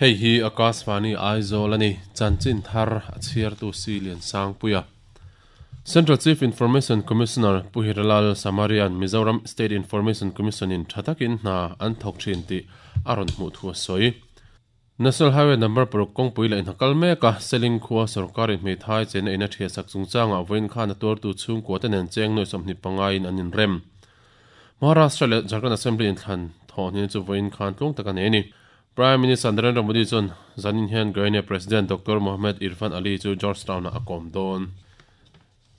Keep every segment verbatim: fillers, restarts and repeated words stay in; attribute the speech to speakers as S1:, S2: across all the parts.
S1: Hei hi Akashvani Aizawl ani chanchin thar a chhiartu Silian Sangpuia. Central Chief Information Commissioner Pu Hiralal Samarian Mizoram State Information Commission in thatakin hna an thawk thin tih a rawn hmuh thu a sawi. National Highway number paruk kawngpui leh inhakal mek a Seling khua sorkarin hmeithai chena in a thiah sak chungchangah vawiin khan a tuartu chhungkua te nen cheng nuai sawmhnih panga in an inrem. Maharashtra leh Jharkhand Assembly inthlan thawhni chu vawiin khan tlung tak a nei a ni. Prime Minister Narendra Modi chuan zanin hian Guyana President Doctor Mohamed Irfaan Ali chu Georgetown ah a kawm dawn.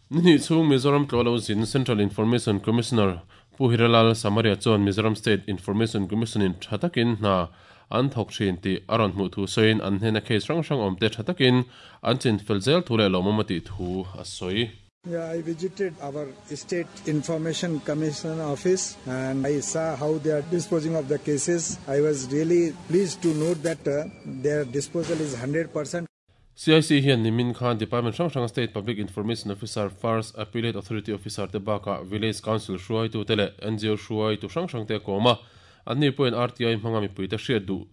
S1: Ni hnih chhung Mizoram tlawh lo zin Central Information Commissioner Pu Hiralal Samaria chuan Mizoram State Information Commission in tha takin hna an thawk thin tih a rawn hmuh thu sawiin an hnena case hrang hrang awm te tha takin an chin fel zel thu leh lawmawm a tih thu a sawi.
S2: Yeah, I visited our State Information Commission office and I saw how they are disposing of the cases. I was really pleased to note that, uh, their disposal is hundred percent.
S1: C I C hian nimin khan Department hrang hrang State Public Information Officer, First Appellate Authority Officer te bakah Village Council hruaitu te leh N G O hruaitu hrang hrang te a kawm a. An ni pawhin R T I hmanga mipui te hriat duh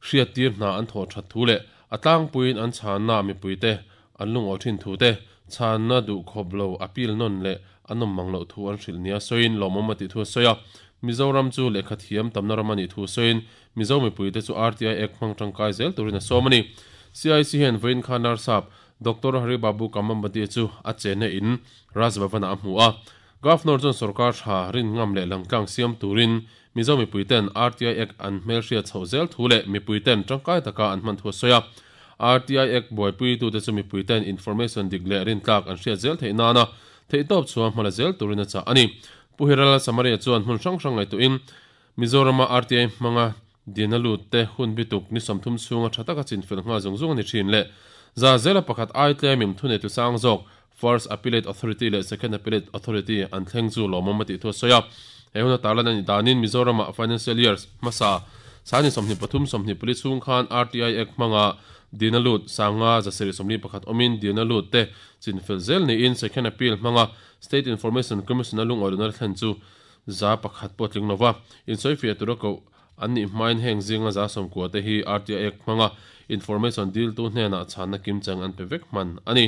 S1: hriat tir hna an thawh that thu leh a tlangpuiin an chhanna mipui te an lungaw thin thu te chhanna duh khawp lo appeal nawn leh an awm mang loh thu an hrilh nia sawiin lawmawm a tih thu a sawi a. Mizoram chu lehkha thiam tamna ram a nih thu sawiin Mizo mipui te chu R T I Act hmang tangkai zel turin a sawm a ni. C I C hian vawiin khan Narsap Doctor Hari Babu Kambhampati chu a chena in Raj Bhavan ah a hmu a. Governor chuan sarkar tha rin ngam leh langtlang siam turin Mizo mipui ten R T I Act an hmel hriat chhoh zel thu leh mipui ten tangkai taka an hman thu a sawi a. R T I Act buaipui tu te chu mipui ten information dik leh rin tlak an hriat zel theih nana theih tawp chhuah hmala zel turin a chah a ni. Pu Hiralal Samaria chuan hmun hrang hrang ngaihtuhin Mizorama R T I hmanga dina lut te hun bituk ni sawmthum chhunga tha taka chinfel nghal zung zung a ni thin leh za zela pakhat ai tlem im thunei tu sang zawk First Appellate Authority leh Second Appellate Authority an thleng chu lawmawm a tih thu a sawi a. He hun a tarlan a ni danin Mizorama Financial Years hmasa sani sawmhnih pathum sawmhnih pali chhung khan R T I Act hmanga dina lut sanga zasarih sawmli pakhat awmin dina lut te chinfel zel niin Second Appeal hmanga State Information Commission a lungawi lohna thlen chu za pakhat pawh tling lova insawi fiah tura koh an nih hmain heng zinga za sawmkua te hi R T I Act hmanga information deal tu hnenah chhanna kimchang an pe vek hman a ni.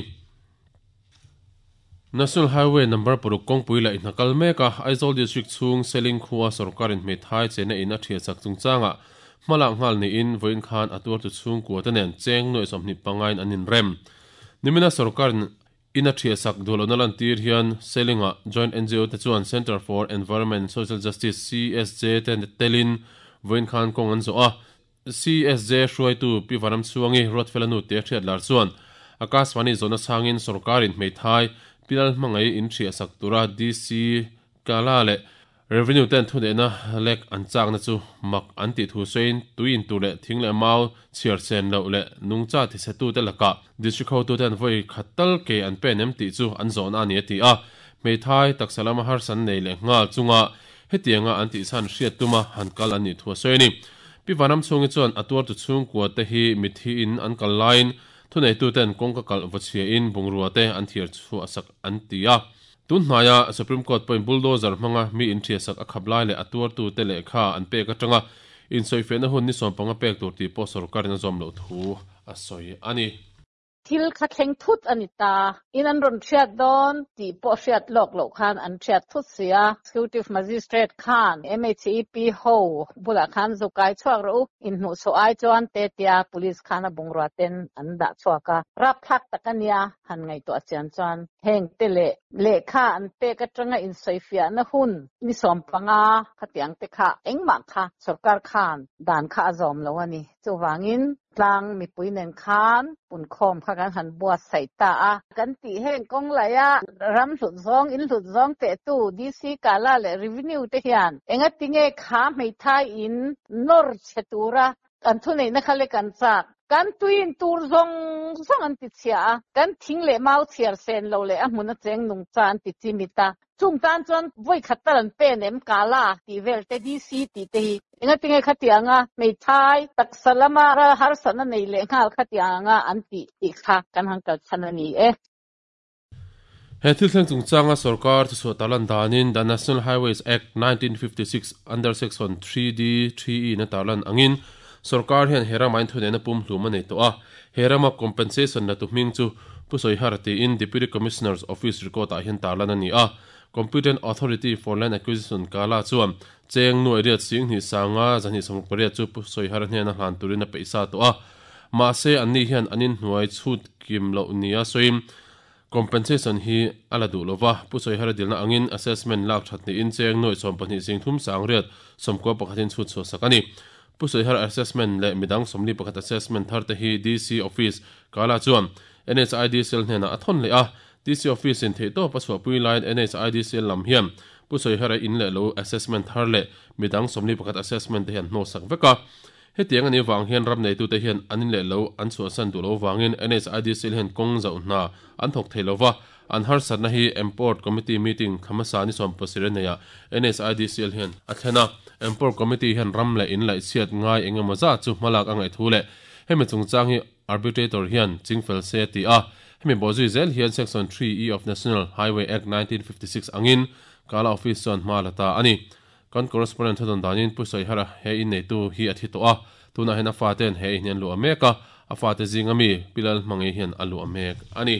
S1: National Highway number paruk kawngpui leh inhakal mek a Aizawl District chhung Seling khua sarkarin hmeithai chena in a thiah sak chungchangah hmalak nghal niin vawiin khan a tuartu chhungkua te nen cheng nuai sawmhnih panga in an inrem. Nimina sarkarin in a thiah sak duh lohna lan tir hian Selinga Joint N G O te chuan Center for Environment and Social Justice C S J te telin vawiin khan kawng an zawh a. C S J hruaitu Pi Vanram Chhuangi Ruatfela nu te hriat lar chuan Akashvani zawhna changin sarkarin hmeithai Pilal hmangai in thiah sak tura D C Kala leh Revenue ten thunehna lek an chakna chu mak an tih thu sawiin tuiin tur leh thing leh mau chhiar chen loh leh nungcha tichhetu te lakah district hotu ten vawi khat tal ke an pen em tih chu an zawhna a ni a ti a. Hmeithai taksa lama harsan nei leh nghal chunga hetianga an tih chhan hriat tuma han kal an nih thu a sawi a ni. Pi Vanram Chhungi chuan a tuartu chhungkua te hi mithi in an kal laiin thuneitu ten kawngka kal vawchhia in bungrua te an thiar chhuah sak an ti a. Tun hnaia Supreme Court point bulldozer hmanga mi in thiah sak a khap lai leh a tuartu te leh kha an pek atanga insawi fehna hun ni sawm panga pek tur tih pawh sarkarin a zawm loh thu a sawi a ni.
S3: Thil kha thleng thut ani ta in an rawn hriat dawn tih pawh hriat lawk loh khan an hriat thut sia. Executive Magistrate khan M H E P ho bulah khan zukai chhuak ro in hmuh chhoh ai chuan te tia police khan a bungrua ten an dah chhuak a. Rap thlak tak ania han ngaihtuah chian chuan heng te leh lehkha an pek atanga insawi fiahna hun ni sawm panga khatiang te kha engmah kha sarkar khan dan kha a zawm lo ani. Chuwangin tlang mipui nen khan pun khawm kha kan han buat sai ta a. Kan tih heng kawng laia ram hlut zawng in hlut zawng te tu D C Kala leh Revenue te hian enga tinge kha hmeithai in nawr chhe tura kan thu nei na kha le kan chak kan tuin tur zawng zawng an ti chhia a. Kan thing leh mau chhiar sen lo leh a hmun a cheng nung cha an ti chi mi ta. Chung tan chuan vawi khat tal an pen em Kala tih vel te D C tih te hi enga tinge khatianga hmeithai taksa lama ra harsana nei leh nghal khatianga an ti tih kha kan han kal chhan a ni e.
S1: He thil thleng chungchanga sarkar chu chhuah talan danin The National Highways Act nineteen fifty-six under section three D three E na tarlan angin Sarkar hian herama in thune na pum hlum anei to a herama compensation na tu hming chu pusoi har ti in Deputy Commissioner's Office record a hian tarlan ani a Competent Authority for Land Acquisition kala chuan cheng nu area sing ni sanga zani som pariat chu pusoi har hne na hlan turin a peisa to a ma se anni hian anin hnuai chhut kim lo nia soim compensation hi ala du lova pusoi har dilna angin assessment lak thatni in cheng noi som pahnih sing thum sang riat somko pakhatin chhut so sakani pusoi har assessment le midang somli pakhat assessment thar te hi D C office kala chuan N H I D C L hnena athon le a D C office in theito paswa pui line N H I D C L lam hian pusoi har in le lo assessment thar le midang somli pakhat assessment te hian no sak veka hetiang ani wang hian ram nei tu te hian anin le lo an chu san du lo wangin N H I D C L hian kong zau na an thok theilova an har satna hi import committee meeting khamasa ni som pasire neya N H I D C L hian athena import committee hian ram le in lai chiat ngai engemaw za chu hmalak angai thu le hemi chungchang hi arbitrator hian chingfel se ti a hemi bozui zel hian section three E of National Highway Act nineteen fifty-six angin kala office chuan hma lata ani kan correspondent thadon danin pusoi hara he in nei tu hi athi to a tuna hena fa ten he in lu ameka a fa te zinga mi pilal mangi hian alu amek ani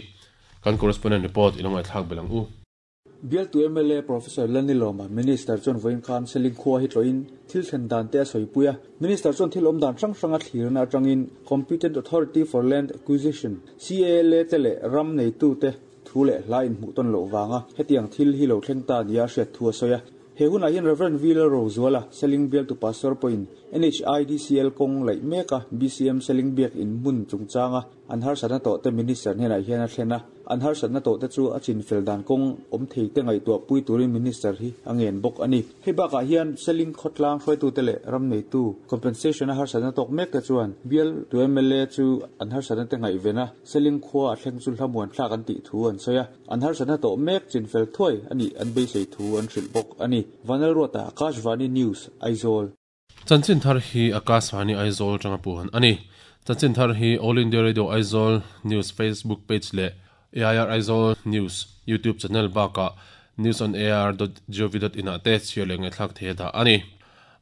S1: kan correspondent report ilongai thak belang u
S4: Bial tu M L A Professor Laniloma Minister John Voin Khan seling khuwa hi tloin thil thlen dan te soipuia Minister John thil om dan rang ranga thlirna atangin Competent Authority for Land Acquisition C A L A tele ram nei tu te thule hlain mu ton lo wanga hetiang thil hi lo thleng ta nia hriat thua soya he huna hian Reverend Villa Rozuala seling bial tu pastor point N H I D C L kong lai meka B C M seling biak in mun chungchanga an har sana to te minister hena hian a thlena an har sana to te chu a chin fel dan kong om thei te ngai to pui turin minister hi angen bok ani hei baka hian seling khotlang hroi tu tele ram nei tu compensation a har sana tok mek te chuan bial tu M L A chu an har sana te ngai vena seling khwa a thleng chu hlamuan thlak an ti thu an soya an har sana to mek chin fel thoi ani an be sei thu an hril bok ani Vanal Rota Akashvani News Aizawl
S1: Chanchin thar hi Akashvani Aizawl tanga puhan ani Chanchin thar hi All India Radio Aizawl News Facebook page le A I R Aizawl News YouTube channel baka news on a r dot gov dot in ate chiale ngai thlak the da ani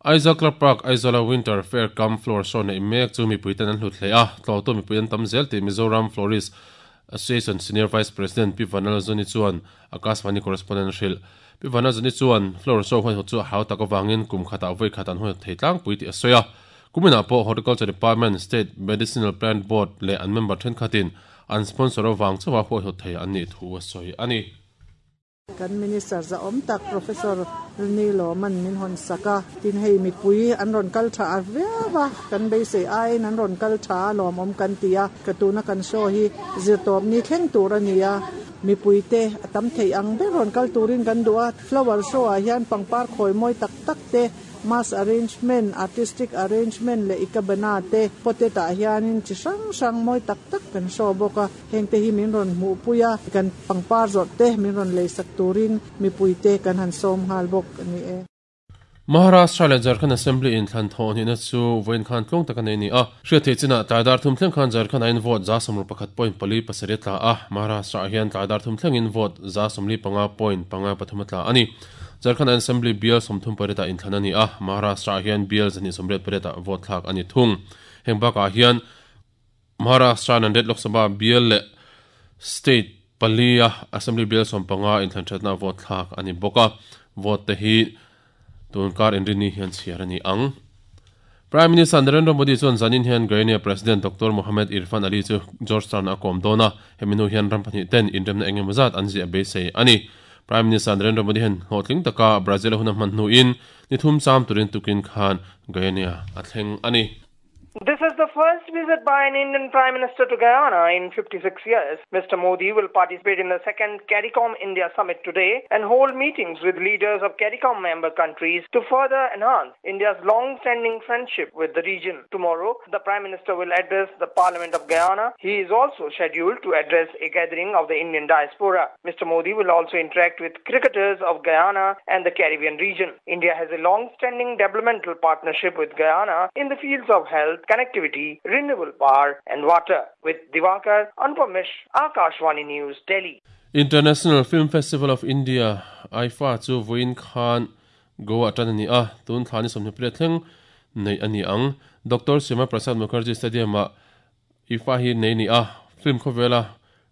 S1: Aizawl Club Park Aizawl Winter Fair Cum Floor Show nei mek chu mi puitan an hlut hle a tlo to mi puitan tam zel te Mizoram Florist Association Senior Vice President P Vanal Zoni chuan Akashvani correspondent hril P Vanal Zoni chuan floor show hoi chu hau tak awangin kum khata voi khatan hoi theitlang pui ti asoya kumina po Horticulture Department State Medicinal Plant Board le an member then khatin an sponsor awang chawa hoi ho thei an ni thu asoi ani
S5: kan minister za om tak Professor Nilo man min hon saka tin hei mi pui an ron kal tha arvewa kan be se ai nan ron kal tha lom om kan tia katuna kan show hi zirtop ni thleng tur ania mi pui te atam thei ang be ron kal turin kan duwa flower show a hian pangpar khoi moi tak tak te mass arrangement artistic arrangement le ikabana te poteta hianin chi sang sang moi tak tak kan show boka hengte hi min ron mu puya kan pangpar zot te min ron le sak turin mi puite kan han som hal bok ani e
S1: Maharashtra le Jharkhand Assembly in thlan thon ni na chu voin khan tlong tak nei ni a hria the china taidar thum thleng khan Jharkhand in vote za somru pakhat point pali pasari tla a Maharashtra hian taidar thum thleng in vote za somli panga point panga pathum tla ani Jharkhand Assembly bill somthum pareta in thlan ani a Maharashtra hian bill zani somret pareta vote thlak ani thung hengbaka hian Maharashtra Nanded Lok Sabha bill le state palia assembly bill sompanga in thlan thatna vote thlak ani boka vote te hi tunkar inrini hian chiarani ang Prime Minister Narendra Modi chuan zanin hian Guyana President Doctor Mohamed Irfan Ali chu Georgetown a kom dona heminu hian rampani ten inremna engemawzat an zia beisei ani Prime Minister Narendra Modi hian hlawhtling taka Brazil huna hman hnu in ni thum cham turin tukin khan Guyana a thleng ani
S6: This is the first visit by an Indian Prime Minister to Guyana in fifty-six years. Mister Modi will participate in the second CARICOM India Summit today and hold meetings with leaders of CARICOM member countries to further enhance India's long-standing friendship with the region. Tomorrow, the Prime Minister will address the Parliament of Guyana. He is also scheduled to address a gathering of the Indian diaspora. Mister Modi will also interact with cricketers of Guyana and the Caribbean region. India has a long-standing developmental partnership with Guyana in the fields of health, connectivity, renewable power and water. With Divakar, Anupam Mish, Akashvani News, Delhi.
S1: International Film Festival of India, I F A chu voin khan Goa tanani a tun thani somni pre thleng nei ani ang Doctor Shyama Prasad Mukherjee Stadium a I F F A hi nei ni a film khovela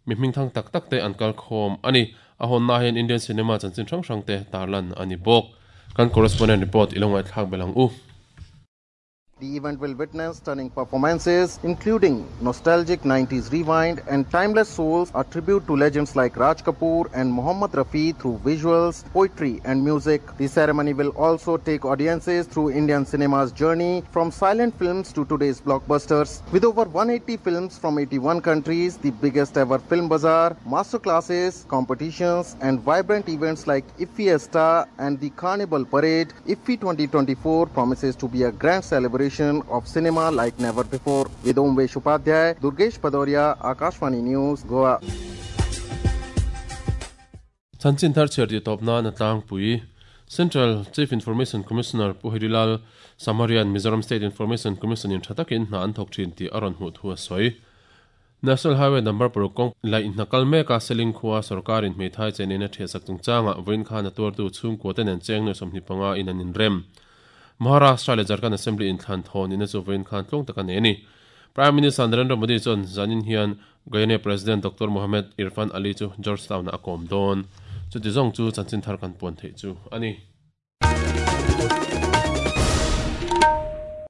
S1: mi hming thang tak tak te an kal khom ani a hon na hian Indian cinema chanchin hrang hrang te tarlan ani bawk kan correspondent report ilongai thlak belang u.
S7: The event will witness stunning performances, including nostalgic nineties rewind and timeless souls, a tribute to legends like Raj Kapoor and Mohammad Rafi through visuals, poetry and music. The ceremony will also take audiences through Indian cinema's journey from silent films to today's blockbusters. With over one hundred eighty films from eighty-one countries, the biggest ever film bazaar, masterclasses, competitions and vibrant events like IFFIesta and the Carnival Parade, I F F I twenty twenty-four promises to be a grand celebration of cinema like never before. With Omvesh Upadhyay, Durgesh Padoria, Akashvani News, Goa.
S1: Chanchin thar cher ti topna na tlang pui Central Chief Information Commissioner Puhirilal Samarian Mizoram State Information Commission in thatakin na an thok thin ti aron hu thua soi National Highway number paruk lai nakal me ka seling khuwa sarkarin hmeithai chenina thesak chungchanga voin khan a tuar tu chung ko ten an cheng no somni panga in an in rem Maharashtra le Jharkhand Assembly in thlan thon in a chuvain khan tlong taka ne ni Prime Minister Narendra Modi chon zanin hian Guyana President Doctor Mohamed Irfan Ali chu Georgetown a kom don chu ti zong chu chanchin thar kan pon thei chu ani.